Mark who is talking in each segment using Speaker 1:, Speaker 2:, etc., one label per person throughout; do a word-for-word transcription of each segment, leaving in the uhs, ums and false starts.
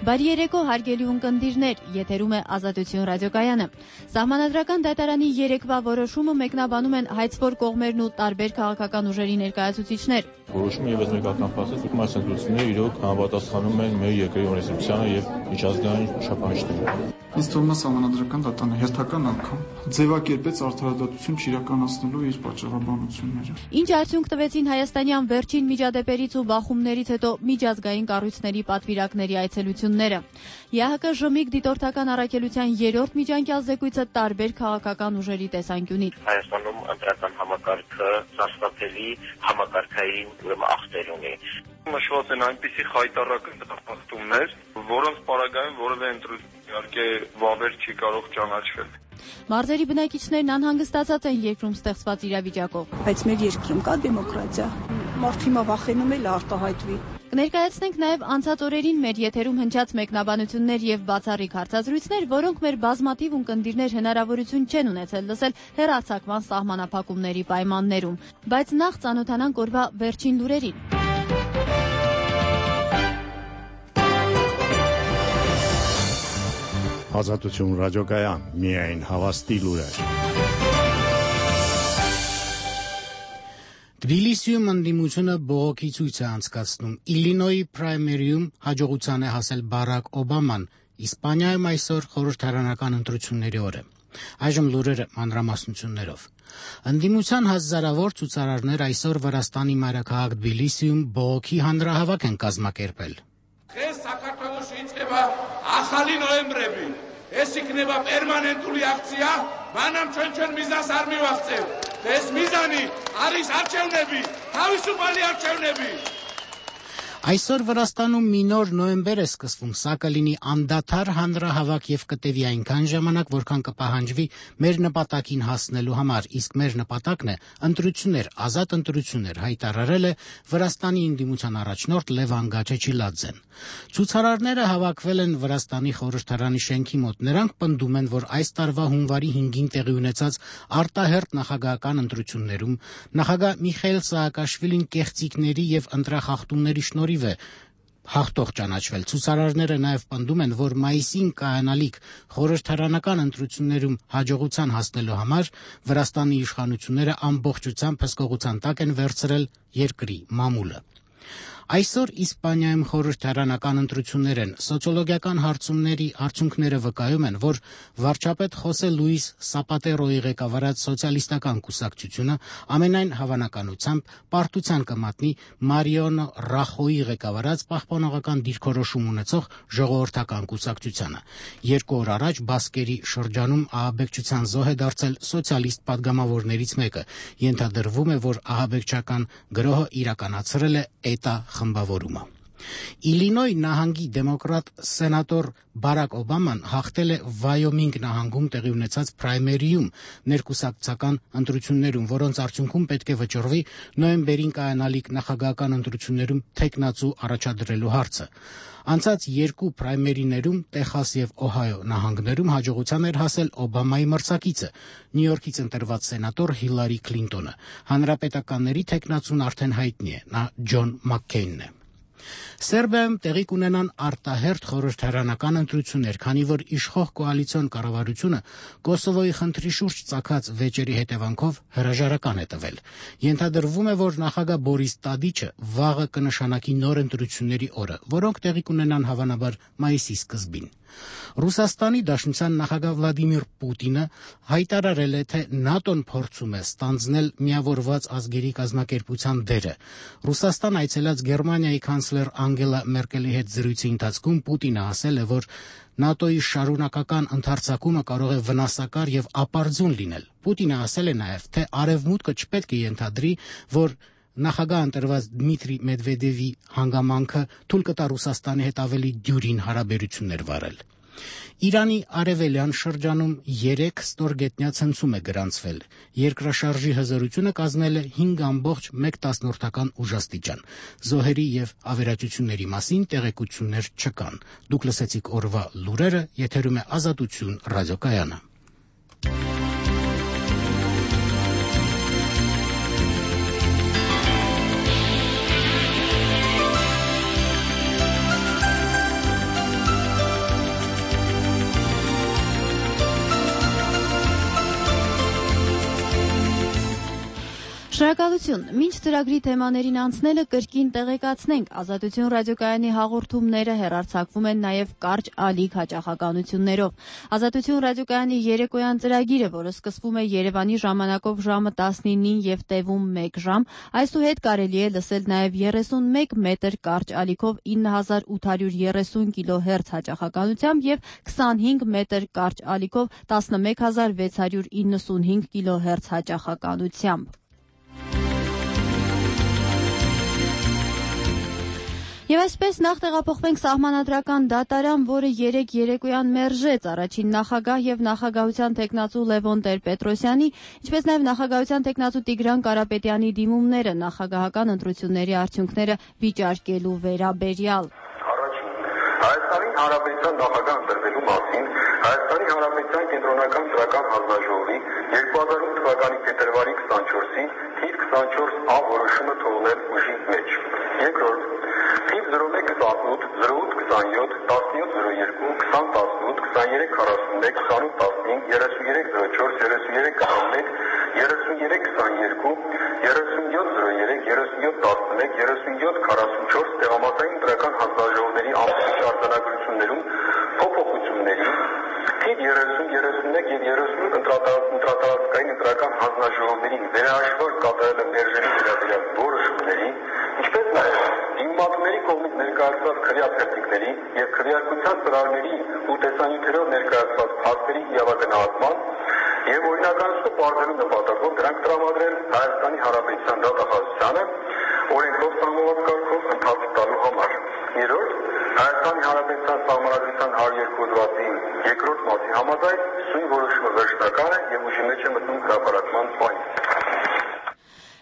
Speaker 1: Բարի երեկո, հարգելի ունկնդիրներ, եթերում է Ազատություն ռադիոկայանը։ Սահմանադրական դատարանի երեկվա որոշումը մեկնաբանում են հայցվոր կողմերն ու տարբեր քաղաքական ուժերի ներկայացուցիչներ։
Speaker 2: Որոշումը ևս մեկական փաստեց, որ այս ընտրությունները իրոք համապատասխանում են մեր երկրի օրենսդրությանը եւ միջազգային չափանիշներին։
Speaker 3: Ինձ թվում է սահմանադրական դատարանը հերթական անգամ ձևակերպեց արդարադատություն չիրականացնելու իր պատճառաբանությունները։
Speaker 1: Ինչ արդյունք տվեցին հայաստանյան վերջին միջադեպերից ու բախումներից հետո միջազգային կառույցների պատվիրակների այցելությունները։ ԵԱՀԿ ԺՄԻԳ դիտորդական առաքելության երրորդ միջանկյալ զեկույցը տարբեր քաղաքական ուժերի տեսանկյունից։
Speaker 4: Հայաստանում ընտրական համակարգը սարսափելի համակարգային ախտեր ունի։
Speaker 5: Նշված են այնպիսի խայտառական դատախտումներ, որոնց պարագայում որևէ ընտրություն իհարկե վավեր չի կարող ճանաչվել։
Speaker 1: Մարզերի բնակիչներն անհանգստացած են երկրում ստեղծված իրավիճակով։
Speaker 6: Բայց մեր երկրում կա դեմոկրատիա։ Մարդը հիմա վախենում է արտահայտվի։
Speaker 1: Կներկայացնենք նաև անցած օրերին մեր եթերում հնչած մեկնաբանություններ եւ բացառիկ հարցազրույցներ, որոնք մեր բազմաթիվ ունկնդիրներ հնարավորություն չեն ունեցել լսել հեռարձակման սահմանափակումների պայմաններում։ Բայց նախ ծանոթանանք օրվա վերջին լուրերին։
Speaker 7: Ազատություն ռադիոկայան, միայն հավաստի լուրեր։ Թբիլիսիում ընդդիմությունը բողոքի ցույց է անցկացնում։ Իլինոյի պրայմերիում հաջողության է հասել Բարակ Օբաման, Իսպանիայում այսօր խորհրդարանական ընտրությունների օր է։ Այժմ լուրերը մանրամասնություններով։ Ընդդիմության հազարավոր ցուցարարներ այսօր Վրաստանի մայրաքաղաք Թբիլիսիում բողոքի հանրահավաք են կազմակերպել։
Speaker 8: Ես საქართველოში իწყება ახალი նոյեմբրები։ Ეს იქნება პერმანენტული აქცია, მანამ ჩვენ ჩვენ მიზანს არ მივაღწევ. ეს მიზანი არის არჩევნები, თავისუფალი არჩევნები.
Speaker 7: Այսօր Վրաստանում մի նոր նոյեմբեր է սկսվում, սա կլինի անդադար հանրահավաք եւ կտևի այնքան ժամանակ, որքան կպահանջվի մեր նպատակին հասնելու համար, իսկ մեր նպատակն է ընտրություններ, ազատ ընտրություններ, հայտարարել է Վրաստանի ընդդիմության առաջնորդ Լևան Գաչեչիլաձեն։ Ցուցարարները հավաքվել են Վրաստանի խորհրդարանի շենքի մոտ։ Նրանք պնդում են, որ այս տարվա հունվարի հինգին տեղի ունեցած արտահերթ նախագահական ընտրություններում նախագահ Միխայիլ Սաակաշվիլին կեղծիքների եւ ընտրախախտումների շնորհիվ է հաղթող ճանաչվել։ Ցուցարարները նաև պնդում են, որ մայիսին կայանալիք խորհրդարանական ընտրություններում հաջողության հասնելու համար Վրաստանի իշխանությունները ամբողջությամբ հսկողության տակ են վերցրել երկրի մամուլը։ Այսօր Իսպանիայում խորհրդարանական ընտրություններ են։ Սոցիոլոգիական հարցումների արդյունքները վկայում են, որ վարչապետ Խոսե Լուիս Սապատերոյի ղեկավարած սոցիալիստական կուսակցությունը ամենայն հավանականությամբ պարտության կմատնի Մարիոնո Ռախոյի ղեկավարած պահպանողական դիրքորոշում ունեցող ժողովրդական կուսակցությանը։ Երկու օր առաջ Բասկերի շրջանում ահաբեկչության զոհ է դարձել սոցիալիստ падգամավորներից մեկը։ Ենթադրվում է, որ ահաբեկչական գրոհը իրականացրել է էտա խմբավորումը։ Իլինոյ նահանգի դեմոկրատ սենատոր Բարակ Օբաման հաղթել է Վայոմինգ նահանգում տեղի ունեցած պրայմերիում ներկուսակցական ընտրություններում, որոնց արդյունքում պետք է վճռվի նոյեմբերին կայանալիք նախագահական ընտրություններում թեկնածու առաջադրելու հարցը։ Անցած երկու պրայմերիներում Տեխաս եւ Օհայո նահանգներում հաջողության էր հասել Օբամայի մրցակիցը, Նյու Յորքից ընտրված սենատոր Հիլարի Քլինտոնը։ Հանրապետականների թեկնածուն արդեն հայտնի է, նա Ջոն Մաքքեյնն է։ Սերբիայում տեղի կունենան արտահերթ խորհրդարանական ընտրություններ, քանի որ իշխող կոալիցիոն կառավարությունը Կոսովոյի խնդրի շուրջ ծագած վեճերի հետևանքով հրաժարական է տվել։ Ենթադրվում է, որ նախագահ Բորիս Տադիչը վաղը կնշանակի նոր ընտրությունների օրը, որոնք տեղի կունենան հավանաբար մայիսի սկզբին։ Ռուսաստանի Դաշնության նախագահ Վլադիմիր Պուտինը հայտարարել է, թե ՆԱՏՕ-ն փորձում է ստանձնել միավորված ազգերի կազմակերպության դերը։ Ռուսաստան այցելած Գերմանիայի կանցլեր Անգելա Մերկելի հետ զրույցի ընթացքում Պուտինը ասել է, որ ՆԱՏՕ-ի շարունակական ընդարձակումը կարող է վնասակար եւ ապարդյուն լինել։ Պուտինը ասել է նաեւ, թե Արևմուտքը չպետք է ենթադրի, որ նախագահ ընտրված Դմիտրի Մեդվեդևի հանգամանքը թույլ կտա Ռուսաստանի հետ ավելի դյուրին հարաբերություններ վարել։ Իրանի արևելյան շրջանում երեք ստորգետնյա ցնցում է գրանցվել։ Երկրաշարժի հզորությունը կազմել է հինգ ամբողջ մեկ տասնորդական ուժաստիճան։ Զոհերի եւ ավերածությունների մասին տեղեկություններ չկան։ Դուք լսեցիք օրվա լուրերը, եթերում է Ազատություն ռադիոկայանը։
Speaker 1: Շնորհակալություն։ Մինչ ծրագրի թեմաներին անցնելը կրկին տեղեկացնենք, Ազատություն ռադիոկայանի հաղորդումները հեռարձակվում են նաև կարճ ալիք հաճախականություններով։ Ազատություն ռադիոկայանի երեկոյան ծրագիրը, որը սկսվում է Երևանի ժամանակով ժամը տասնինին եւ տևում մեկ ժամ, այսուհետ կարելի է լսել նաև երեսունմեկ մետր կարճ ալիքով ինը հազար ութ հարյուր երեսուն կիլոհերց հաճախականությամբ եւ քսանհինգ մետր կարճ ալիքով տասնմեկ հազար վեց հարյուր իննսունհինգ կիլոհերց հաճախականությամբ։ Եվ այսպես նախ տեղափոխվենք սահմանադրական դատարան, որը երեկ երեկոյան մերժեց առաջին նախագահ եւ նախագահության տեխնացու Լևոն Տեր-Պետրոսյանի, ինչպես նաեւ նախագահության տեխնացու Տիգրան Կարապետյանի դիմումները նախագահական ընտրությունների արդյունքները վիճարկելու վերաբերյալ։
Speaker 9: Առաջին Հայաստանի Հանրապետության նախագահ ընտրվելու մասին Հայաստանի Հանրապետության կենտրոնական ծրական հանձնաժողովի երկու հազար ութ թվականի փետրվարի քսանչորսի թիվ քսանչորս ա որոշումը թողնել ուժի մեջ։ Երկրորդ Թիվ զրո մեկ քսանութ զրո ութ քսանյոթ տասնյոթ զրո երկու քսան տասնութ քսաներեք քառասունմեկ քսանութ տասնհինգ երեսուններեք զրո չորս երեսուններեք քսանմեկ երեսուններեք քսաներկու երեսունյոթ զրո երեք երեսունյոթ տասնմեկ երեսունյոթ քառասունչորս տեղամասային ընտրական հանձնաժողովների ամբողջ արձանագրություններում փոփոխությունների թիվ երեսուն երեսունմեկ եւ երեսուն ընտրատարածքային ընտրական հանձնաժողովների վերահաշվար կատարելը մերժելու վերաբերյալ որոշումների, ինչպես նաեւ դիմումատուների կողմից ներկայացված քրեաթերթիկների եւ քրեարկության ծրագրերի ու տեսանյութերով ներկայացված փաստերի իրավագնահատման եւ օրինականացումը պարզելու նպատակով դրանք տրամադրել Հայաստանի Հանրապետության դատախազությանը օրենքով սահմանված կարգով ընթացք տալու համար։ Երրորդ Հայաստանի Հանրապետության Սահմանադրության հարյուր երկու հոդվածի երկրորդ մասի համաձայն սույն որոշումը վերջնական է եւ ուժի մեջ է մտնում հրապարակման պահին։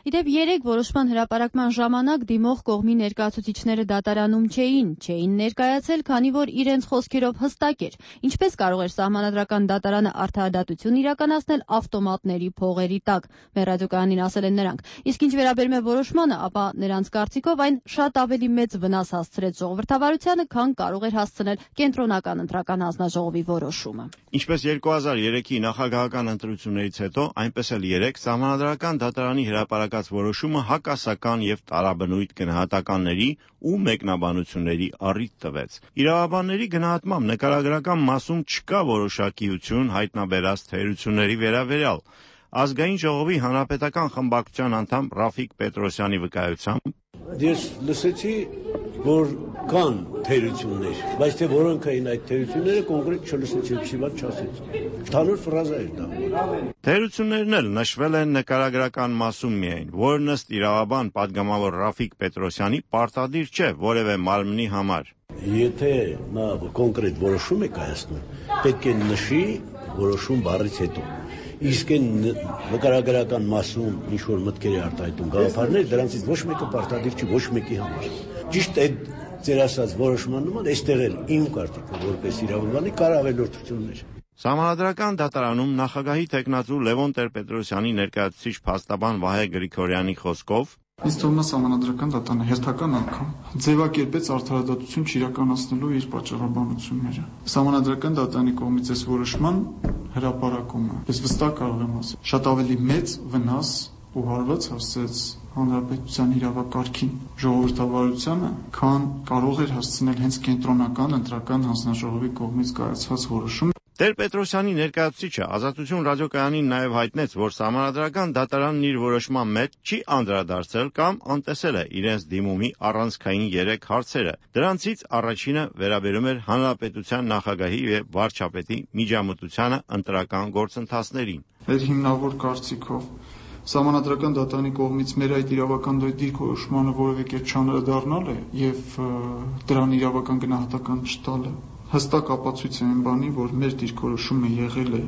Speaker 1: Իդեպ երեք որոշման հրապարակման ժամանակ դիմող կողմի ներկայացուցիչները դատարանում չէին, չէին ներկայացել, քանի որ իրենց խոսքերով հստակ էր, ինչպես կարող էր սահմանադրական դատարանը արդարադատություն իրականացնել ավտոմատների փողերի տակ, մեր ռադիոկայանին ասել են նրանք։ Իսկ ինչ վերաբերում է որոշմանը, ապա նրանց կարծիքով այն շատ ավելի մեծ վնաս հասցրեց ժողովրդավարությանը, քան կարող էր հասցնել կենտրոնական ընտրական հանձնաժողովի որոշումը։
Speaker 10: Ինչպես երկու հազար երեքի նախագահական ընտրություններից հետո, այնպես էլ երեկ սահմանադրական դատարանի հրապարակած որոշումը հակասական եւ տարաբնույթ գնահատականների ու մեկնաբանությունների առիթ տվեց։ Իրավաբանների գնահատմամբ նկարագրական մասում չկա որոշակիություն հայտնաբերած թերությունների վերաբերյալ։ Ազգային ժողովի հանրապետական խմբակցության անդամ Ռաֆիկ Պետրոսյանի վկայությամբ
Speaker 11: Ես լսեցի, որ կան թերություններ, բայց թե որոնք էին այդ թերությունները կոնկրետ չլսեցի, չիվատ չասեցի։ Ընդհանուր ֆրազա էր դա։
Speaker 10: Թերություններն էլ նշվել են նկարագրական մասում միայն, որն ըստ իրավաբան падգամավոր Ռաֆիկ Պետրոսյանի պարտադիր չէ որևէ մարմնի համար։
Speaker 11: Եթե նա կոնկրետ որոշում է կայացնում, պետք է նշի որոշում բառից հետո։ Իսկ այն նկարագրական մասում ինչ-որ մտքեր է արտահայտում գաղափարներ, դրանցից ոչ մեկը պարտադիր չի ոչ մեկի համար։ Ճիշտ այդ ձեր ասած որոշման նման այստեղ էլ իմ կարծիքով որպես իրավաբանի կար ավելորդություններ։
Speaker 10: Սահմանադրական դատարանում նախագահի տեխնացու Լևոն Տեր-Պետրոսյանի ներկայացուցիչ փաստաբան Վահե Գրիգորյանի խոսքով
Speaker 3: Ինձ թվում է սահմանադրական դատարանը հերթական անգամ ձևակերպեց արդարադատություն չիրականացնելու իր պատճառաբանությունները։ Սահմանադրական դատարանի կողմից այս որոշման հրապարակումը, ես վստահ կարող եմ ասել, շատ ավելի մեծ վնաս ու հարված հասցրեց հանրապետության իրավակարգին, ժողովրդավարությանը, քան կարող էր հասցնել հենց կենտրոնական ընտրական հանձնաժողովի կողմից կայացված որոշումը։
Speaker 10: Տեր-Պետրոսյանի ներկայացուցիչը Ազատություն ռադիոկայանին նաև հայտնեց, որ սահմանադրական դատարանն իր որոշման մեջ չի անդրադարձել կամ անտեսել է իրենց դիմումի առանցքային երեք հարցերը։ Դրանցից առաջինը վերաբերում էր հանրապետության նախագահի եւ վարչապետի միջամտությանը ընտրական գործընթացներին։
Speaker 3: Այդ հիմնավոր կարծիքով Սահմանադրական դատարանի կողմից մեր այդ իրավական դիրքորոշմանը որևէ կերպ չանդրադառնալը եւ դրան իրավական գնահատական չտալը հստակ ապացույց է այն բանի, որ մեր դիրքորոշումը եղել է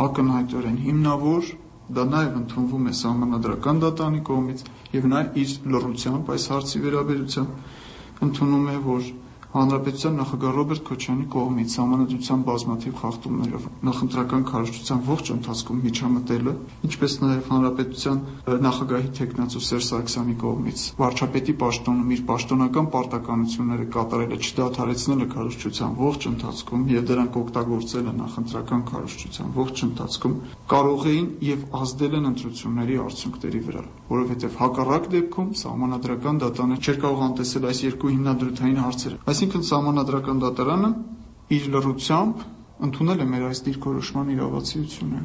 Speaker 3: ակնհայտորեն հիմնավոր, դա նաև ընդունվում է սահմանադրական դատարանի կողմից եւ նաեւ իր լռությամբ այս հարցի վերաբերությամբ ընդունում է, որ Հանրապետության նախագահ Ռոբերտ Քոչարյանի կողմից համանadrության բազմաթիվ խախտումներով նախընտրական քարոզչության ողջ ընթացքում միջամտելը, ինչպես նաև հանրապետության նախագահի թեկնածու Սերժ Սարգսյանի կողմից վարչապետի պաշտոնում իր պաշտոնական պարտականությունները կատարելը չդադարեցնելը քարոզչության ողջ ընթացքում եւ դրանք օգտագործելը նախընտրական քարոզչության ողջ ընթացքում կարող էին եւ ազդել են ընտրությունների արդյունքների վրա, որովհետեւ հակառակ դեպքում սահմանադրական դատարանը չէր կարող անտեսել այս երկու հիմնադրութային հարցերը։ Այսինքն սահմանադրական դատարանը իր լռությամբ ընդունել է մեր այս դիրքորոշման իրավացիությունը։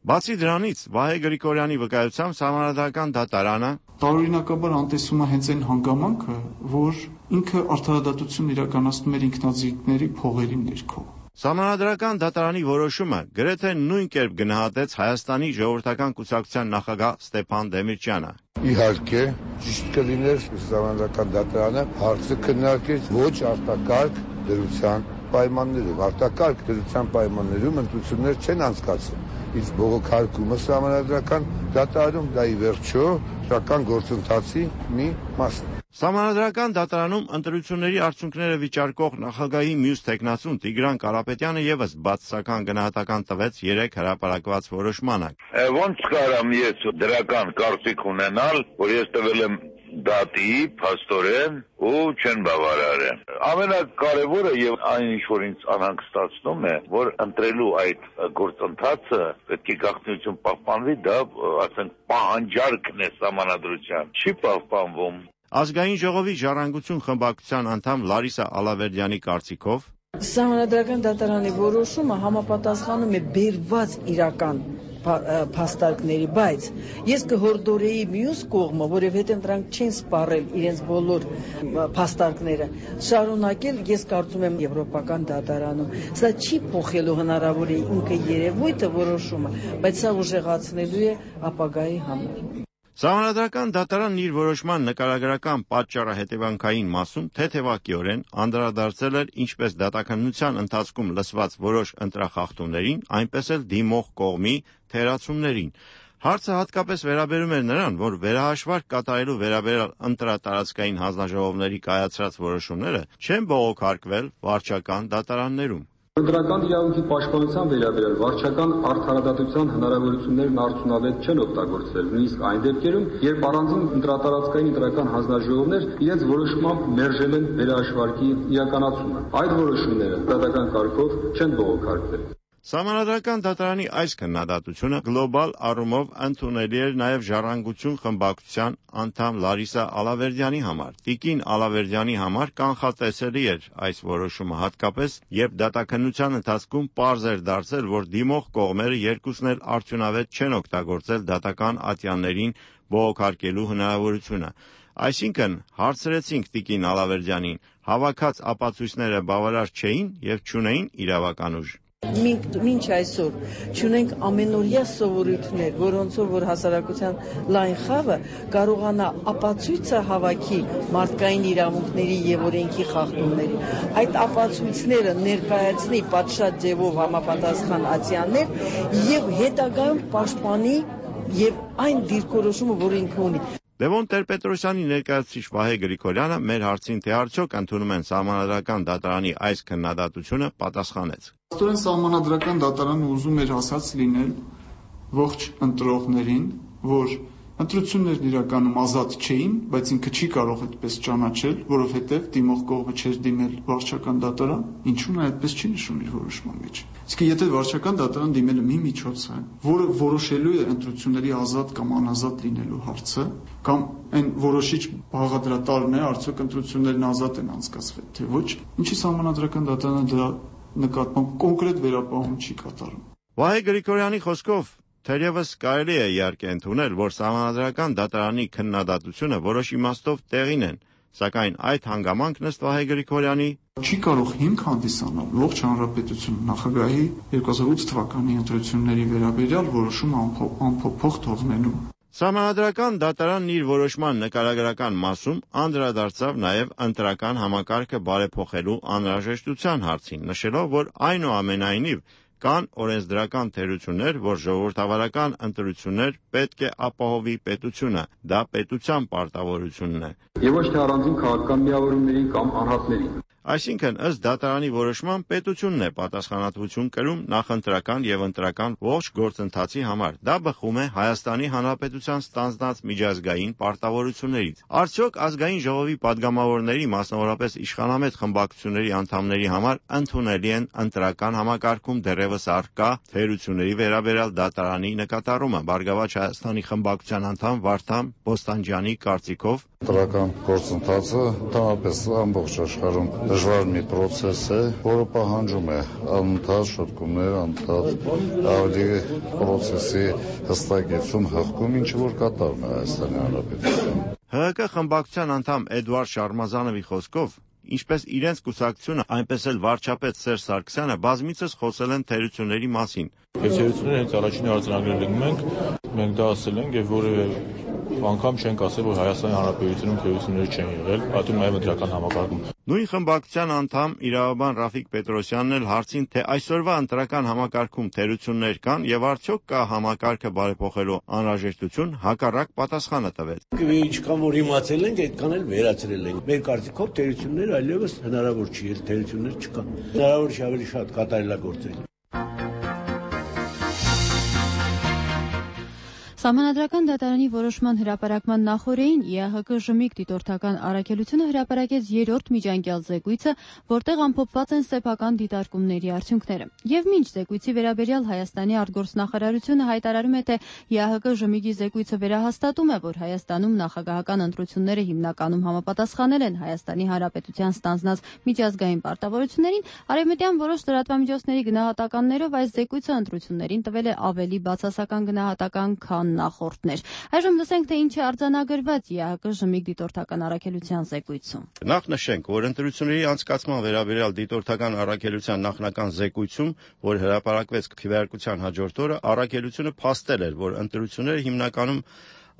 Speaker 10: Բացի դրանից, Վահե Գրիգորյանի վկայությամբ սահմանադրական դատարանը
Speaker 3: տարօրինակաբար անտեսում է հենց այն հանգամանքը, որ ինքը արդարադատություն իրականացնում էր ինքնազիգների փողերի ներքո։
Speaker 10: Սահմանադրական դատարանի որոշումը գրեթե նույն կերպ գնահատեց Հայաստանի ժողովրդական կուսակցության նախագահ Ստեփան Դեմիրճյանը։
Speaker 12: Իհարկե, ճիշտ կլիներ սահմանադրական դատարանը հարցը քննարկել ոչ արտակարգ դրության պայմաններով, արտակարգ դրության պայմաններում ընտրություններ չեն անցկացվում։ Իսկ բողոքարկումը սահմանադրական դատարանում դա ի վերջո շական գործընթացի մի մասն է։
Speaker 10: Սահմանադրական դատարանում ընտրությունների արդյունքները վիճարկող նախագահի մյուս թեկնածուն Տիգրան Կարապետյանը ևս բացասական գնահատական տվեց երեք հրապարակված որոշմանը։
Speaker 13: Ոնց կարամ ես դրական կարծիք ունենալ, որ ես տվել եմ դատի, փաստորեն ու չեն բավարարեն։ Ամենակարևորը եւ այն ինչ որ ինձ անհանգստացնում է, որ ընտրելու այդ գործընթացը պետք է գաղտնիություն պահպանվի, դա ասենք պահանջարկն է սահմանադրության, չի պահպանվում։
Speaker 10: Ազգային ժողովի ժառանգություն խմբակցության անդամ Լարիսա Ալավերդյանի կարծիքով
Speaker 14: Սահմանադրական դատարանի որոշումը համապատասխանում է բերված իրական փաստարկների, բայց ես կհորդորեի մյուս կողմը, որովհետև նրանք չեն սպառել իրենց բոլոր փաստարկները, շարունակել, ես կարծում եմ եվրոպական դատարանում։ Սա չի փոխելու հնարավոր է ինքը երևույթը որոշումը, բայց սա ուժեղացնելու է ապագայի համար։
Speaker 10: Սահմանադրական դատարանն իր որոշման նկարագրական պատճառահետևանքային մասում թեթևակիորեն անդրադարձել էր ինչպես դատաքննության ընթացքում լսված որոշ ընտրախախտումներին, այնպես էլ դիմող կողմի թերացումներին։ Հարցը հատկապես վերաբերում էր նրան, որ վերահաշվարկ կատարելու վերաբերյալ ընտրատարածքային հանձնաժողովների կայացրած որոշումները չեն բողոքարկվել վարչական դատարաններում։
Speaker 15: Ընտրական իրավունքի պաշտպանության վերաբերյալ վարչական արդարադատության հնարավորություններն արդյունավետ չեն օգտագործվել, նույնիսկ այն դեպքերում, երբ առանձին ընտրատարածքային ընտրական հանձնաժողովներ իրենց որոշմամբ մերժել են վերահաշվարկի իրականացումը։ Այդ որոշումները դատական կարգով չեն բողոքարկվել։
Speaker 10: Սահմանադրական դատարանի այս քննադատությունը գլոբալ առումով ընդունելի էր նաև ժառանգություն խմբակցության անդամ Լարիսա Ալավերդյանի համար։ Տիկին Ալավերդյանի համար կանխատեսելի էր այս որոշումը, հատկապես երբ դատաքննության ընթացքում պարզ էր դարձել, որ դիմող կողմերը երկուսն էլ արդյունավետ չեն օգտագործել դատական ատյաններին բողոքարկելու հնարավորությունը։ Այսինքն, հարցրեցինք տիկին Ալավերդյանին, հավաքած ապացույցները բավարար չէին եւ չունեին իրավական ուժ։
Speaker 14: Մինչ այսօր չունենք ամենօրյա սովորույթներ, որոնցով որ հասարակության լայն խավը կարողանա ապացույցը հավաքի մարդկային իրավունքների եւ օրենքի խախտումների։ Այդ ապացույցները ներկայացնի պատշաճ ձևով համապատասխան ատյաններ եւ հետագայում պաշտպանի եւ այն դիրքորոշումը, որ ինքը ունի։
Speaker 10: Լևոն Տեր-Պետրոսյանի ներկայացուցիչ Վահե Գրիգորյանը մեր հարցին, թե արդյոք ընդունում են սահմանադրական դատարանի այս քննադատությունը, պատասխանեց.
Speaker 3: Աստորեն սահմանադրական դատարանը ուզում էր ասած լինել ողջ ընտրողներին, որ ընտրություններն իրականում ազատ չէին, բայց ինքը չի կարող այդպես ճանաչել, որովհետև դիմող կողմը չէր դիմել վարչական դատարան, ինչու նա այդպես չի նշում իր որոշման մեջ։ Իսկ եթե վարչական դատարան դիմելը մի միջոց է, որը որոշելու է ընտրությունների ազատ կամ անազատ լինելու հարցը, կամ այն որոշիչ բաղադրատարն է, արդյոք ընտրություններն ազատ են անցկացվել, թե ոչ, ինչի սահմանադրական դատարանը դրա նկատմամբ կոնկրետ վերապահում չի կատարում։
Speaker 10: Վահե Գրիգորյանի խոսքով թերևս կարելի է իհարկե ընդունել, որ սահմանադրական դատարանի քննադատությունը որոշ իմաստով տեղին են, սակայն այդ հանգամանքն ըստ Վահե Գրիգորյանի
Speaker 3: չի կարող հիմք հանդիսանալ ողջ հանրապետություն նախագահի երկու հազար ութ թվականի ընտրությունների վերաբերյալ որոշումը անփոփոխ թողնելու։
Speaker 10: Սահմանադրական դատարանն իր որոշման նկարագրական մասում անդրադարձավ նաև ընտրական համակարգը բարեփոխելու անհրաժեշտության հարցին, նշելով, որ այնուամենայնիվ կան օրենսդրական թերություններ, որ ժողովրդավարական ընտրություններ պետք է ապահովի պետությունը, դա պետության պարտավորությունն է։
Speaker 15: Եվ ոչ թե առանձին քաղաքական միավորումների կամ անհատների։
Speaker 10: Այսինքն, ըստ դատարանի որոշման, պետությունն է պատասխանատվություն կրում նախընտրական եւ ընտրական ողջ գործընթացի համար։ Դա բխում է Հայաստանի Հանրապետության ստանձնած միջազգային պարտավորություններից։ Արդյոք ազգային ժողովի падգամավորների, մասնավորապես իշխանամետ խմբակցությունների անդամների համար ընդունելի են ընտրական համակարգում դեռևս առկա թերությունների վերաբերյալ դատարանի նկատառումը։ Բարգավաճ Հայաստանի խմբակցության անդամ Վարդան Բոստանջյանի կարծիքով
Speaker 16: ընտրական գործընթացը ընդհանրապես ամբողջ աշխարհում դժվար մի process է, որը պահանջում է անընդհատ շտկումներ, անընդհատ ավելի process-ի հստակեցում, հղկում, ինչ որ կատարվում է Հայաստանի Հանրապետությունում։
Speaker 10: Հ Հ Կ խմբակցության անդամ Էդուարդ Շարմազանովի խոսքով, ինչպես իրենց կուսակցությունը, այնպես էլ վարչապետ Սերժ Սարգսյանը բազմիցս խոսել են թերությունների մասին։
Speaker 2: Թերությունները հենց առաջին արձանագրել ենք մենք, մենք դա ասել ենք եւ որևէ անգամ չենք ասել, որ Հայաստանի Հանրապետությունում թերություններ չեն եղել, այդու նաև ընտրական համակարգում։
Speaker 10: Նույն խմբակցության անդամ իրավաբան Ռաֆիկ Պետրոսյանն էլ հարցին, թե այսօրվա ընտրական համակարգում թերություններ կան եւ արդյոք կա համակարգը բարեփոխելու անհրաժեշտություն, հակառակ պատասխանը տվեց։
Speaker 11: Ինչքան որ իմացել ենք, այդքան էլ վերացրել ենք։ Մեր կարծիքով թերություններ այլևս հնարավոր չի, թերություններ չկան։ Հնարավոր չի ավելի շատ կատարելագործել։
Speaker 1: Սահմանադրական դատարանի որոշման հրապարակման նախօրեին Ի Ա Հ Կ Ժմիկ դիտորդական առաքելությունը հրապարակեց երրորդ միջանկյալ զեկույցը, որտեղ ամփոփված են սեփական դիտարկումների արդյունքները։ Եվ մինչ զեկույցի վերաբերյալ Հայաստանի արտգործնախարարությունը հայտարարում է, թե Ի Ա Հ Կ Ժմիկի զեկույցը վերահաստատում է, որ Հայաստանում նախագահական ընտրությունները հիմնականում համապատասխանել են Հայաստանի Հանրապետության ստանձնած միջազգային պարտավորություններին, արևմտյան որոշ լրատվամիջոցների գնահատականներով այս զեկույցը ընտրություններին տվել է ավելի բացասական գնահատական, քան նախորդներ։ Այժմ լսենք, թե ինչ է արձանագրված Ի Ա Հ Կ Ժմիկ դիտորդական առաքելության զեկույցում։
Speaker 10: Նախ նշենք, որ ընտրությունների անցկացման վերաբերյալ դիտորդական առաքելության նախնական զեկույցում, որ հրապարակվեց քվեարկության հաջորդ օրը, առաքելությունը փաստել էր, որ ընտրությունները հիմնականում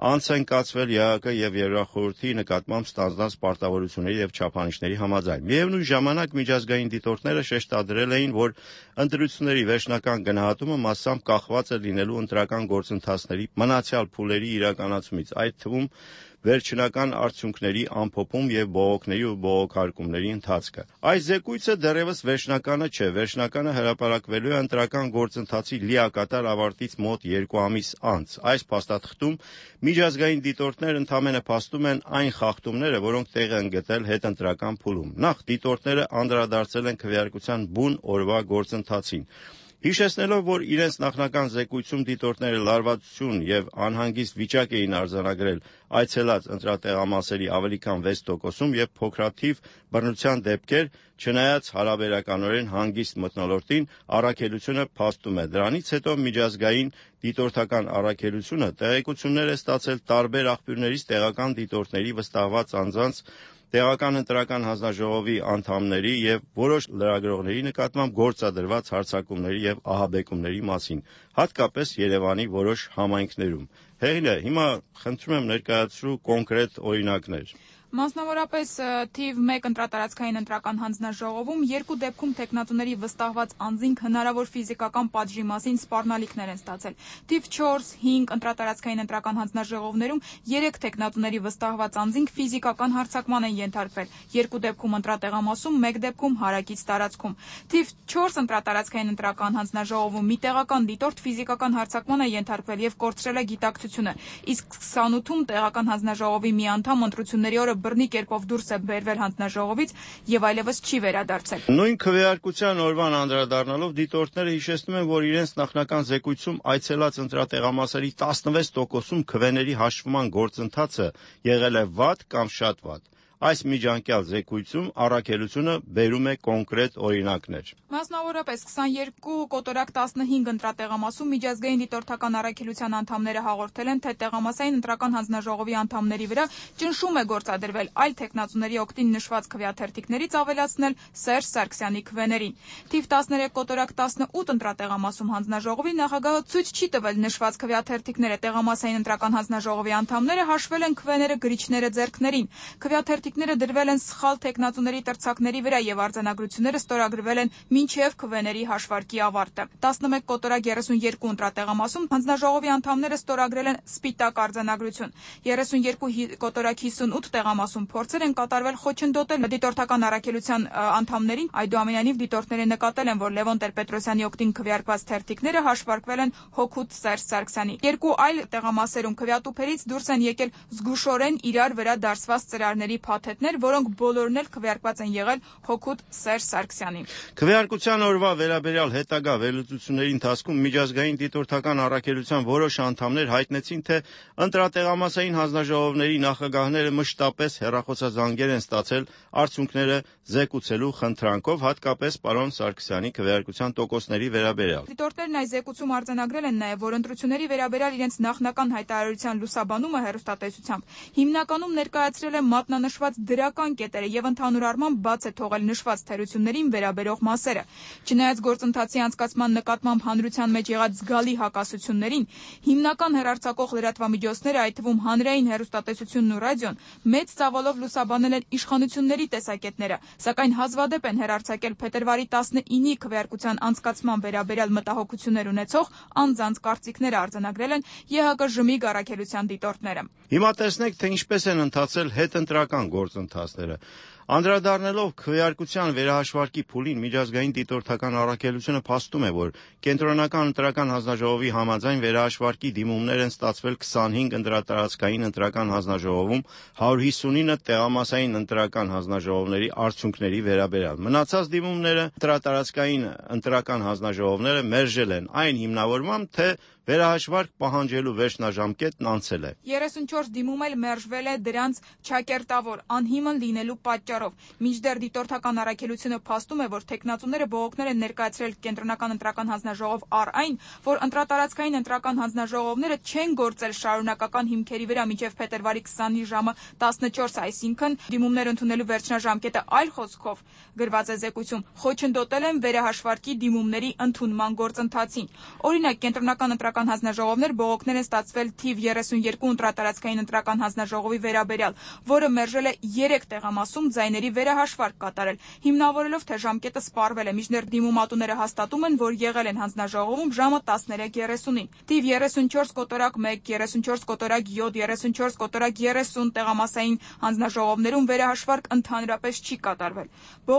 Speaker 10: անց են կացվել Ի Ա Հ Կ եւ Եվրախորհրդի նկատմամբ ստանձնած պարտավորությունների եւ չափանիշների համաձայն։ Միևնույն ժամանակ միջազգային դիտորդները շեշտադրել էին, որ ընտրությունների վերջնական գնահատումը մասամբ կախված է լինելու ընտրական գործընթացների մնացյալ փուլերի իրականացումից, այդ թվում վերջնական արդյունքների ամփոփում եւ բողոքների ու բողոքարկումների ընթացքը։ Այս զեկույցը դեռևս վերջնականը չէ, վերջնականը հրապարակվելու է ընտրական գործընթացի լիակատար ավարտից մոտ երկու ամիս անց։ Այս փաստաթղթում միջազգային դիտորդներ ընդամենը փաստում են այն խախտումները, որոնք տեղ են գտել հետընտրական փուլում։ Նախ դիտորդները անդրադարձել են քվեարկության բուն օրվա գործընթացին։ Հիշեցնելով, որ իրենց նախնական զեկույցում դիտորդները լարվածություն եւ անհանգիստ վիճակ էին արձանագրել այցելած ընտրատեղամասերի ավելի քան վեց տոկոսում եւ փոքրաթիվ բռնության դեպքեր, չնայած հարաբերականորեն հանգիստ մթնոլորտին, առաքելությունը փաստում է։ Դրանից հետո միջազգային դիտորդական առաքելությունը տեղեկություններ է ստացել տարբեր աղբյուրներից տեղական դիտորդների վստահված անձանց, տեղական ընտրական հանձնաժողովի անդամների եւ որոշ լրագրողների նկատմամբ գործադրված հարձակումների եւ ահաբեկումների մասին, հատկապես Երևանի որոշ համայնքներում։ Հեղինե, հիմա խնդրում եմ ներկայացրու կոնկրետ օրինակներ։
Speaker 17: Մասնավորապես թիվ մեկ ընտրատարածքային ընտրական հանձնաժողովում երկու դեպքում տեխնատուների վստահված անձինք հնարավոր ֆիզիկական պատժի մասին սպառնալիքներ են ստացել։ Թիվ չորս հինգ ընտրատարածքային ընտրական հանձնաժողովներում երեք տեխնատուների վստահված անձինք ֆիզիկական հարձակման են ենթարկվել, երկու դեպքում ընտրատեղամասում, մեկ դեպքում հարակից տարածքում։ Թիվ չորս ընտրատարածքային ընտրական հանձնաժողովում մի տեղական դիտորդ ֆիզիկական հարձակման է ենթարկվել եւ կորցրել է գիտակցությունը, իսկ քսանութում տեղական հանձնաժողովի մի անդամ ընտրությունների օրը բռնի կերպով դուրս է բերվել հանձնաժողովից եւ այլևս չի վերադարձել։
Speaker 10: Նույն քվեարկության օրվան անդրադառնալով դիտորդները հիշեցնում են, որ իրենց նախնական զեկույցում այցելած ընտրատեղամասերի տասնվեց տոկոսում քվեների հաշվման գործընթացը եղել է վատ կամ շատ վատ։ Այս միջանկյալ զեկույցում առաքելությունը բերում է կոնկրետ օրինակներ։
Speaker 17: Մասնավորապես քսաներկու կոտորակ տասնհինգ ընտրատեղամասում միջազգային դիտորդական առաքելության անդամները հաղորդել են, թե տեղամասային ընտրական հանձնաժողովի անդամների վրա ճնշում է գործադրվել այլ տեխնատուների օգտին նշված քվեաթերթիկներից ավելացնել Սերժ Սարգսյանի քվեներին։ Թիվ տասներեք կոտորակ տասնութ ընտրատեղամասում հանձնաժողովի նախագահը ցույց չի տվել նշված քվեաթերթիկները, տեղամասային ընտրական հանձնաժողովի անդամները հաշվել են քվեները գրիչները ձեռքներին։ Քվեաթերթիկ թերթիկները դրվել են սխալ թեկնածուների տրցակների վրա եւ արձանագրությունները ստորագրվել են մինչեւ քվեների հաշվարկի ավարտը։ տասնմեկ կոտորակ երեսունյերկու ընտրատեղամասում հանձնաժողովի անդամները ստորագրել են սպիտակ արձանագրություն։ երեսունյերկու կոտորակ հիսունութ տեղամասում փորձեր են կատարվել խոչընդոտել դիտորդական առաքելության անդամներին, այդուամենայնիվ դիտորդները նկատել են, որ Լևոն Տեր-Պետրոսյանի օգտին քվեարկված թերթիկները հաշվարկվել են Հոգուտ Սերժ Սարգսյանի։ Երկու այլ տեղամասերում քվեատուփերից դուրս են եկել զգուշորեն իրար վրա դարսված ծրարների փաթեթներ, որոնք բոլորն էլ քվեարկված են եղել Հոգուտ Սերժ Սարգսյանին։
Speaker 10: Քվեարկության օրվա վերաբերյալ հետագա վերլուծությունների ընթացքում միջազգային դիտորդական առաքելության որոշ անդամներ հայտնեցին, թե ընտրատեղամասային հանձնաժողովների նախագահները մշտապես հեռախոսազանգեր են ստացել արդյունքները զեկուցելու խնդրանքով, հատկապես պարոն Սարգսյանի քվեարկության տոկոսների վերաբերյալ։
Speaker 17: Դիտորդներն այս զեկուցում արձանագրել են նաև, որ ընտրությունների վերաբերյալ իրենց նախնական հայտարարության լուսաբանումը հեռուստատեսությամբ հիմնականում ներկայացրել է մատնանշված դրական կետերը եւ ընդհանուր առմամբ բաց է թողել նշված թերություններին վերաբերող մասերը։ Չնայած գործընթացի անցկացման նկատմամբ հանրության մեջ եղած զգալի հակասություններին, հիմնական հեռարձակող լրատվամիջոցները, այդ թվում հանրային հեռուստատեսությունն ու ռադիոն, մեծ ծավալով լուսաբանել են իշխանությունների տեսակետները, սակայն հազվադեպ են հեռարձակել փետրվարի տասնինի քվեարկության անցկացման վերաբերյալ մտահոգություններ ունեցող անձանց կարծիքները արձանագրել են ԵՀԿ-ժմիգ առաքելության դիտորդները։
Speaker 10: Հիմա տեսնենք, թե ինչպես են ընթացել հետընտրական գործընթացները։ Անդրադառնալով քվեարկության վերահաշվարկի փուլին, միջազգային դիտորդական առաքելությունը փաստում է, որ կենտրոնական ընտրական հանձնաժողովի համաձայն վերահաշվարկի դիմումներ են ստացվել քսանհինգ ընտրատարածքային ընտրական հանձնաժողովում, հարյուր հիսունինը տեղամասային ընտրական հանձնաժողովների արդյունքների վերաբերյալ։ Մնացած դիմումները ընտրատարածքային ընտրական հանձնաժողովները մերժել են այն հիմնավորմամբ, թե վերահաշվարկ պահանջելու վերջնաժամկետն անցել է։
Speaker 17: երեսունչորս դիմում էլ մերժվել է դրանց չակերտավոր անհիմն լինելու պատճառով։ Մինչդեռ դիտորդական առաքելությունը փաստում է, որ թեկնածուները բողոքներ են ներկայացրել կենտրոնական ընտրական հանձնաժողով առ այն, որ ընտրատարածքային ընտրական հանձնաժողովները չեն գործել շարունակական հիմքերի վրա մինչև փետրվարի քսանի ժամը տասնչորս, այսինքն դիմումներ ընդունելու վերջնաժամկետը այլ խոսքով գրված է զեկույցում, խոչընդոտել են վերահաշվարկի դիմումների ընդունման գործընթացին։ Օրինակ, կենտրոնական ընտրական հանձնաժողովներ բողոքներ են ստացվել թիվ երեսունյերկու ընտրատարածքային ընտրական հանձնաժողովի վերաբերյալ, որը մերժել է երեք տեղամասում ձայների վերահաշվարկ կատարել, հիմնավորելով, թե ժամկետը սպառվել է, մինչդեռ դիմումատուները հաստատում են, որ եղել են հանձնաժողովում ժամը տասներեք երեսունին։ Թիվ երեսունչորս կոտորակ մեկ, երեսունչորս կոտորակ յոթ, երեսունչորս կոտորակ երեսուն տեղամասային հանձնաժողովներում վերահաշվարկ ընդհանրապես չի կատարվել։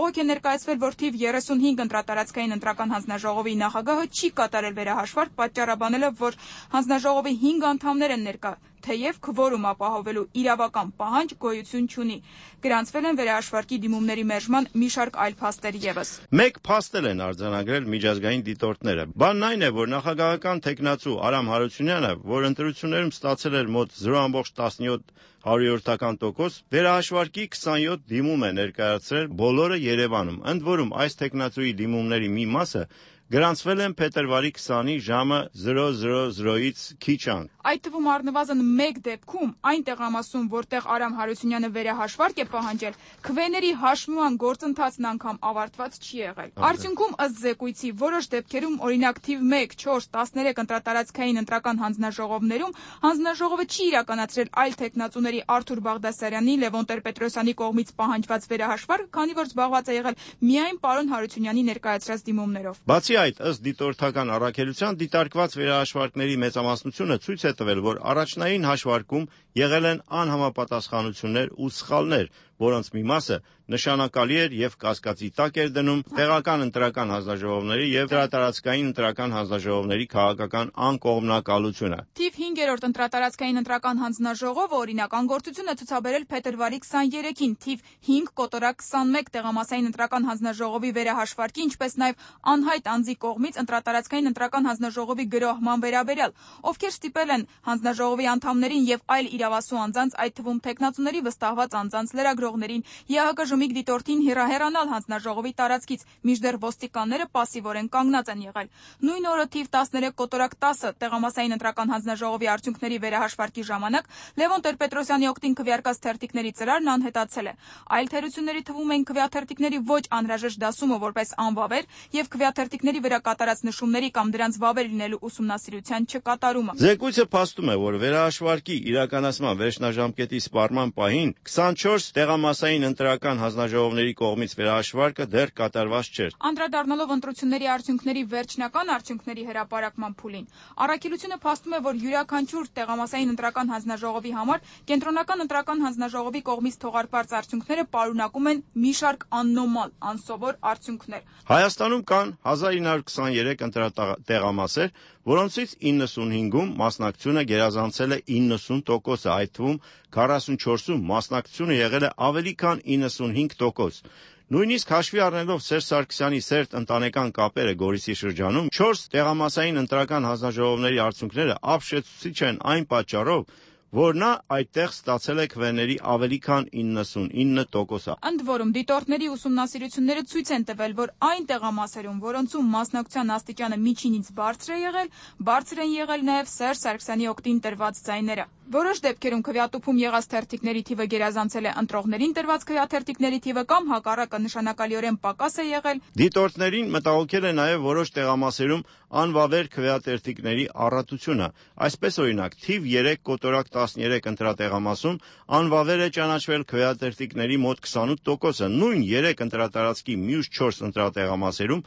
Speaker 17: Բողոք է ներկայացվել, որ թիվ երեսունհինգ ընտրատարածքային ընտրական հանձնաժողովի նախագահը չի կատարել վերահաշվարկ, պատճառաբանելով, որ հանձնաժողովի հինգ անդամներ են ներկա, թեև քվորում ապահովելու իրավական պահանջ գոյություն չունի։ Գրանցվել են վերահաշվարկի դիմումների մերժման մի շարք այլ փաստեր ևս։
Speaker 10: Մեկ փաստ են արձանագրել միջազգային դիտորդները։ Բանն այն է, որ նախագահական թեկնածու Արամ Հարությունյանը, որ ընտրություններում ստացել էր մոտ զրո տասնյոթ հարյուրյորդական տոկոս, վերահաշվարկի քսանյոթ դիմում է ներկայացրել բոլորը Երևանում։ Ընդ որում, այս թեկնածուի դիմումների մի մասը գրանցվել են փետրվարի քսանի ժամը զրո զրո զրոից քիչ անց։
Speaker 17: Այդ թվում առնվազն մեկ դեպքում, այն տեղամասում, որտեղ Արամ Հարությունյանը վերահաշվարկ է պահանջել, քվեների հաշվման գործընթացն անգամ ավարտված չի եղել։ Արդյունքում, ըստ զեկույցի, որոշ դեպքերում, օրինակ թիվ մեկ, չորս, տասներեք ընտրատարածքային ընտրական հանձնաժողովներում հանձնաժողովը չի իրականացրել այլ թեկնածուների Արթուր Բաղդասարյանի, Լևոն Տեր-Պետրոսյանի կողմից պահանջված վերահաշվարկ, քանի որ զբաղված է եղել միայն պարոն Հարությունյանի ներկայացրած դիմումներով։
Speaker 10: Բացի այդ, ըստ դիտորդական առաքելության, դիտարկված վերահաշվարկների մեծամասնությունը ցույց է տվել, որ առաջնային հաշվարկում եղել են անհամապատասխանություններ ու սխալներ, որոնց մի մասը նշանակալի էր եւ կասկածի տակ էր դնում տեղական ընտրական հանձնաժողովների եւ ընտրատարածքային ընտրական հանձնաժողովների քաղաքական անկողմնակալությունը։
Speaker 17: Թիվ հինգերորդ ընտրատարածքային ընտրական հանձնաժողովը օրինակ անգործություն է ցուցաբերել փետրվարի քսաներեքին թիվ հինգ կոտորակ քսանմեկ տեղամասային ընտրական հանձնաժողովի վերահաշվարկի, ինչպես նաեւ անհայտ անձի կողմից ընտրատարածքային ընտրական հանձնաժողովի գրոհման վերաբերյալ, ովքեր ստիպել են հանձնաժողովի անդամներին եւ այլ իրավասու անձանց, այդ թվում թեկնածուների վստահված անձանց լրագրողներին, ԵՀԿ-ժմիգ դիտորդին հեռահեռանալ հանձնաժողովի տարածքից, մինչդեռ ոստիկանները պասիվորեն կանգնած են եղել։ Նույն օրը թիվ տասներեք կոտորակ տասը տեղամասային ընտրական հանձնաժողովի արդյունքների վերահաշվարկի ժամանակ Լևոն Տեր-Պետրոսյանի օգտին քվեարկած թերթիկների ծրարն անհետացել է։ Այլ թերությունների թվում են քվեաթերթիկների ոչ անհրաժեշտ դասումը որպես անվավեր եւ քվեաթերթիկների վրա կատարած նշումների կամ դրանց վավեր լինելու ուսումնասիրության չկատարումը։
Speaker 10: Զեկույցը փաստում է, որ վերահաշվարկի իրականացման իրականացման վերջնաժամկետի սպառման պահին քսանչորս տեղամասային ընտրական հանձնաժողովների կողմից վերահաշվարկը դեռ կատարված չէր։
Speaker 17: Անդրադառնալով ընտրությունների արդյունքների վերջնական արդյունքների հրապարակման փուլին, առաքելությունը փաստում է, որ յուրաքանչյուր տեղամասային ընտրական հանձնաժողովի համար կենտրոնական ընտրական հանձնաժողովի կողմից թողարկված արդյունքները պարունակում են մի շարք աննորմալ, անսովոր արդյունքներ։
Speaker 10: Հայաստանում կան հազար ինը հարյուր քսաներեք ընտրատեղամասեր, որոնցից իննսունհինգում մասնակցությունը գերազանցել է իննսուն տոկոսը, այդ թվում քառասունչորսում մասնակցությունը եղել է ավելի քան իննսունհինգ տոկոս։ Նույնիսկ հաշվի առնելով Սերժ Սարգսյանի սերտ ընտանեկան կապերը Գորիսի շրջանում, չորս տեղամասային ընտրական հանձնաժողովների արդյունքները ապշեցուցիչ են այն պատճառով, որ նա այդտեղ ստացել է քվեների ավելի քան իննսունինը տոկոսը։
Speaker 17: Ընդ որում, դիտորդների ուսումնասիրությունները ցույց են տվել, որ այն տեղամասերում, որոնցում մասնակցության աստիճանը միջինից բարձր է եղել, բարձր են եղել նաև Սերժ Սարգսյանի օգտին տրված ձայները։ Որոշ դեպքերում քվեատուփում եղած թերթիկների թիվը գերազանցել է ընտրողներին տրված քվեաթերթիկների թիվը կամ հակառակը նշանակալիորեն պակաս է եղել։
Speaker 10: Դիտորդներին մտահոգել է նաև որոշ տեղամասերում անվավեր քվեաթերթիկների առատությունը։ Այսպես օրինակ, թիվ երեք կոտորակ տասներեք ընտրատեղամասում անվավեր է ճանաչվել քվեաթերթիկների մոտ քսանութ տոկոսը, նույն երեք ընտրատարածքի մյուս չորս ընտրատեղամասերում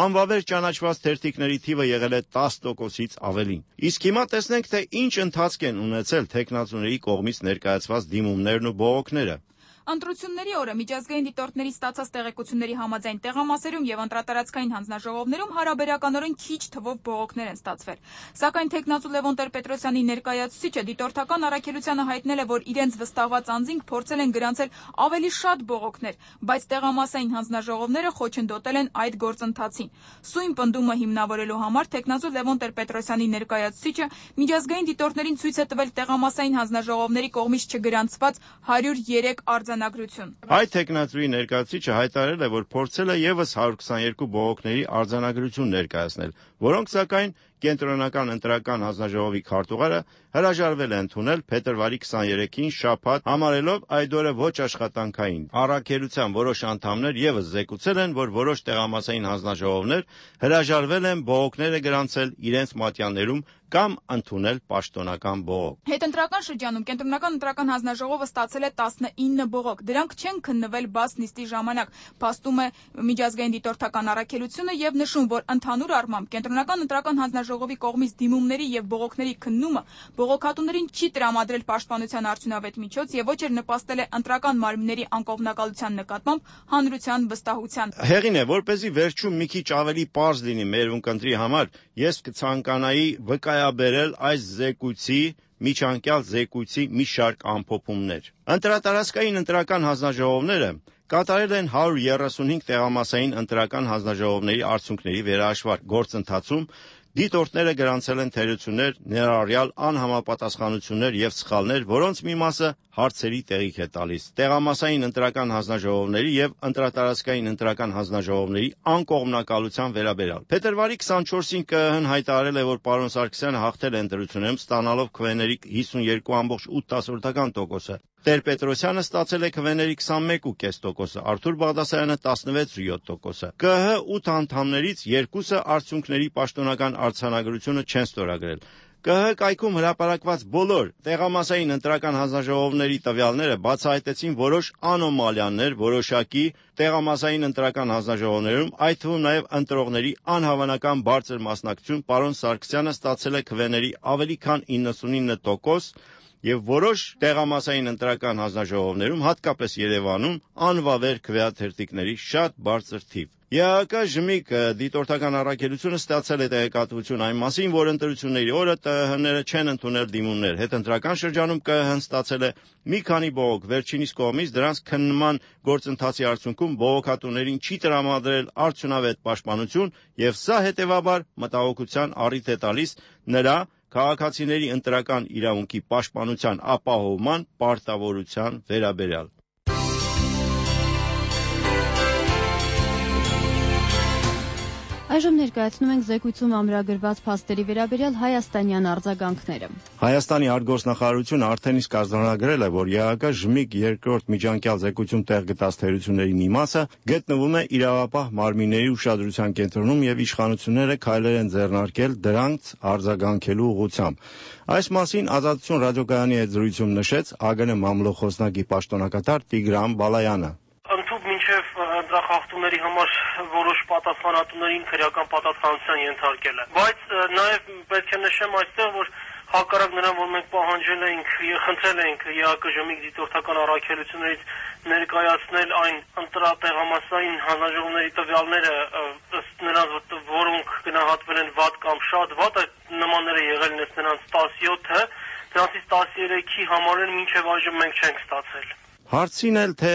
Speaker 10: անվավեր ճանաչված թերթիկների թիվը եղել է տասը տոկոսից ավելին։ Իսկ հիմա տեսնենք, թե ինչ ընթացք են ունեցել թեկնածուների կողմից ներկայացված դիմումներն ու բողոքները։
Speaker 17: Ընտրությունների օրը միջազգային դիտորդների ստացած տեղեկությունների համաձայն տեղամասերում եւ ընտրատարածքային հանձնաժողովներում հարաբերականորեն քիչ թվով բողոքներ են ստացվել։ Սակայն թեկնածու Լևոն Տեր-Պետրոսյանի ներկայացուցիչը դիտորդական առաքելությանը հայտնել է, որ իրենց վստահված անձինք փորձել են գրանցել ավելի շատ բողոքներ, բայց տեղամասային հանձնաժողովները խոչընդոտել են այդ գործընթացին։ Սույն պնդումը հիմնավորելու համար թեկնածու Լևոն Տեր-Պետրոսյանի ներկայացուցիչը միջազգային դիտորդներին ցույց է տվել տեղամասային հանձնաժողովների կողմից չգրանցված հարյուր երեք արձանագրություն։
Speaker 10: Այդ թեկնածուի ներկայացուցիչը հայտարարել է, որ փորձել է եւս հարյուր քսաներկու բողոքների արձանագրություն ներկայացնել, որոնք սակայն կենտրոնական ընտրական հանձնաժողովի քարտուղարը հրաժարվել է ընդունել փետրվարի քսաներեքին շաբաթ, համարելով այդ օրը ոչ աշխատանքային։ Առաքելության որոշ անդամներ եւս զեկուցել են, որ որոշ տեղամասային հանձնաժողովներ հրաժարվել են բողոքները գրանցել իրենց մատյաններում կամ ընդունել պաշտոնական բողոք։
Speaker 17: Հետընտրական շրջանում կենտրոնական ընտրական հանձնաժողովը ստացել է տասնինը բողոք։ Դրանք չեն քննվել բաց նիստի ժամանակ, փաստում է միջազգային դիտորդական առաքելությունը եւ նշում, որ ընդհանուր առմամբ կենտրոնական ընտրական հանձնաժողովի կողմից դիմումների եւ բողոքների քննումը բողոքատուներին չի տրամադրել պաշտպանության արդյունավետ միջոց եւ ոչ էլ նպաստել է ընտրական մարմինների անկողմնակալության նկատմամբ հանրության վստահության։
Speaker 10: Հեղին է, որպեսզի վերջում մի քիչ ավելի պարզ լինի մեր ունկնդրի համար, ես կցանկանայի վկայաբերել այս զեկույցի միջանկյալ զեկույցի մի շարք ամփոփումներ։ Ընտրատարածքային ընտրական հանձնաժողովները կատարել են հարյուր երեսունհինգ տեղամասային ընտրական հանձնաժողովների արդյունքների վերահաշվարկ գործընթացում դիտորդները գրանցել են թերություններ, ներառյալ անհամապատասխանություններ եւ սխալներ, որոնց մի մասը հարցերի տեղիք է տալիս։ Տեղամասային ընտրական հանձնաժողովների եւ ընտրատարածքային ընտրական հանձնաժողովների անկողմնակալության վերաբերյալ։ Փետրվարի քսանչորսին ԿԸՀ-ն հայտարարել է, որ պարոն Սարգսյանը հաղթել է ընտրություններում, ստանալով քվեների հիսունյոթ կόμμα ութ տոկոսը։ Տեր-Պետրոսյանը ստացել է քվեների քսանմեկ կόμμα պենս տոկոսը, Արթուր Բաղդասարյանը տասնվեց կόμμα յոթ տոկոսը։ ԿԸՀ ութ անդամներից երկուսը արդյունքների պաշտոնական արձանագրությունը չեն ստորագրել։ ԿԸՀ կայքում հրապարակված բոլոր տեղամասային ընտրական հանձնաժողովների տվյալները բացահայտեցին որոշ անոմալիաներ որոշակի տեղամասային ընտրական հանձնաժողովներում, այդ թվում նաև ընտրողների անհավանական բարձր մասնակցություն։ Պարոն Սարգսյանը ստացել է քվեների ավելի քան իննսունինը տոկոս եւ որոշ տեղամասային ընտրական հանձնաժողովներում, հատկապես Երևանում, անվավեր քվեաթերթիկների շատ բարձր թիվ։ ԵԱՀԿ ԺՄԻԿ դիտորդական առաքելությունը ստացել է տեղեկատվություն այն մասին, որ ընտրությունների օրը ՏԸՀ-ները չեն ընդունել դիմումներ։ Հետընտրական շրջանում ԿԸՀ-ն ստացել է մի քանի բողոք վերջինիս կողմից, դրանց քննման գործընթացի արդյունքում բողոքատուներին չի տրամադրել արդյունավետ պաշտպանություն, եւ սա հետեւաբար մտահոգության առիթ է տալիս նրա քաղաքացիների ընտրական իրավունքի պաշտպանության ապահովման պարտավորության վերաբերյալ։
Speaker 1: Այժմ ներկայացնում ենք զեկույցում ամրագրված փաստերի վերաբերյալ հայաստանյան արձագանքները։
Speaker 10: Հայաստանի արտգործնախարարությունը արդեն իսկ արձանագրել է, որ ԵԱԿ ԺՄԻԳ երկրորդ միջանկյալ զեկույցում տեղ գտած թերությունների մի մասը գտնվում է իրավապահ մարմինների ուշադրության կենտրոնում եւ իշխանությունները քայլեր են ձեռնարկել դրանց արձագանքելու ուղղությամբ։ Այս մասին Ազատություն ռադիոկայանի հետ զրույցում նշեց ԱԳՆ մամլո խոսնակի պաշտոնակատար Տիգրան Բալայանը։
Speaker 18: Մինչև ընտրախախտումների համար որոշ պատասխանատուներին քրեական պատասխանատվության ենթարկել է։ Բայց նաև պետք է նշեմ այստեղ, որ հակառակ նրան, որ մենք պահանջել էինք, խնդրել էինք ԵԱԿ ԺՄԻԳ դիտորդական առաքելություններից ներկայացնել այն ընտրատեղամասային հանձնաժողովների տվյալները, ըստ նրանց, որոնք գնահատվել են վատ կամ շատ վատ, այդ նմանները եղել են նրանց տասնյոթը, դրանցից տասներեքի համարեն մինչև այժմ մենք չենք ստացել։
Speaker 10: Հարցին էլ թե